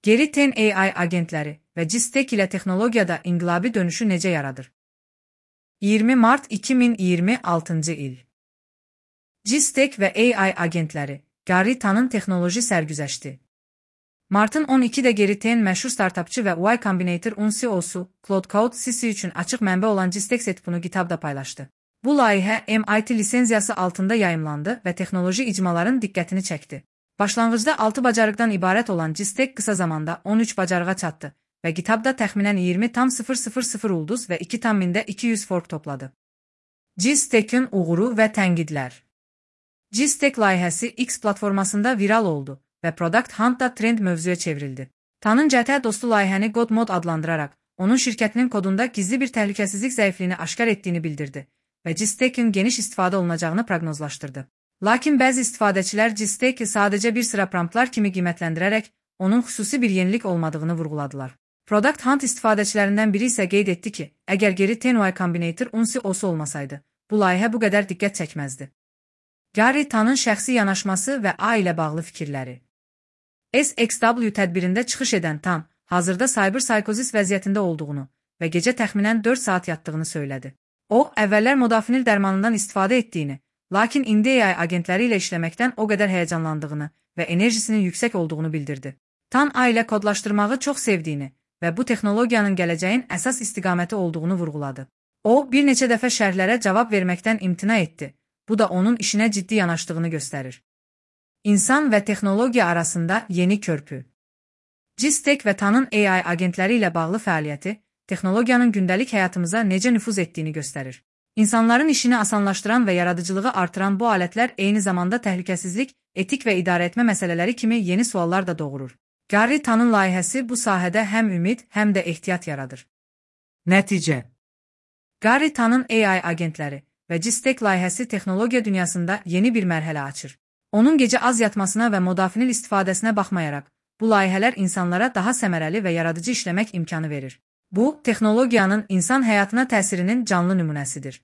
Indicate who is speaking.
Speaker 1: Geri Ten AI agentləri və GISTEC ilə texnologiyada inqilabi dönüşü necə yaradır? 20 mart 2026-cı il. GISTEC və AI agentləri, Gary Tanın texnoloji sərgüzəşti. Martın 12-də Gary Ten məşhur startapçı və Y Combinator CEO-su Claude Code CC üçün açıq mənbə olan GISTEC setupunu GitHub-da paylaşdı. Bu layihə MIT lisenziyası altında yayımlandı və texnoloji icmaların diqqətini çəkdi. Başlanğıcda 6 bacarıqdan ibarət olan GISTEC qısa zamanda 13 bacarığa çatdı və GitHub-da təxminən 20,000 ulduz və 2,200 fork topladı. GISTEC-in uğuru və tənqidlər. GISTEC layihəsi X platformasında viral oldu və Product Hunt-da trend mövzuya çevrildi. Tanın cəhətə dostu layihəni Godmode adlandıraraq, onun şirkətinin kodunda gizli bir təhlükəsizlik zəifliyini aşkar etdiyini bildirdi və GISTEC-in geniş istifadə olunacağını proqnozlaşdırdı. Lakin bəzi istifadəçilər GISTEC-i sadəcə bir sıra promptlar kimi qiymətləndirərək, onun xüsusi bir yenilik olmadığını vurğuladılar. Product Hunt istifadəçilərindən biri isə qeyd etdi ki, əgər Gary Ten Y Combinator CEO-su olmasaydı, bu layihə bu qədər diqqət çəkməzdi. Gary Tanın şəxsi yanaşması və A ilə bağlı fikirləri. SXW tədbirində çıxış edən Tan, hazırda cyberpsixozis vəziyyətində olduğunu və gecə təxminən 4 saat yatdığını söylədi. O, əvvəllər modafinil dərmanından istifadə etdiyini, lakin indi AI agentləri ilə işləməkdən o qədər həyəcanlandığını və enerjisinin yüksək olduğunu bildirdi. Tan A ilə kodlaşdırmağı çox sevdiyini və bu texnologiyanın gələcəyin əsas istiqaməti olduğunu vurğuladı. O, bir neçə dəfə şərhlərə cavab verməkdən imtina etdi. Bu da onun işinə ciddi yanaşdığını göstərir. İnsan və texnologiya arasında yeni körpü. GISTEC və Tanın AI agentləri ilə bağlı fəaliyyəti, texnologiyanın gündəlik həyatımıza necə nüfuz etdiyini göstərir. İnsanların işini asanlaşdıran və yaradıcılığı artıran bu alətlər eyni zamanda təhlükəsizlik, etik və idarəetmə məsələləri kimi yeni suallar da doğurur. Gary Tanın layihəsi bu sahədə həm ümid, həm də ehtiyat yaradır. Nəticə. Gary Tanın AI agentləri və GISTEC layihəsi texnologiya dünyasında yeni bir mərhələ açır. Onun gecə az yatmasına və modafinil istifadəsinə baxmayaraq, bu layihələr insanlara daha səmərəli və yaradıcı işləmək imkanı verir. Bu, texnologiyanın insan həyatına təsirinin canlı nümunəsidir.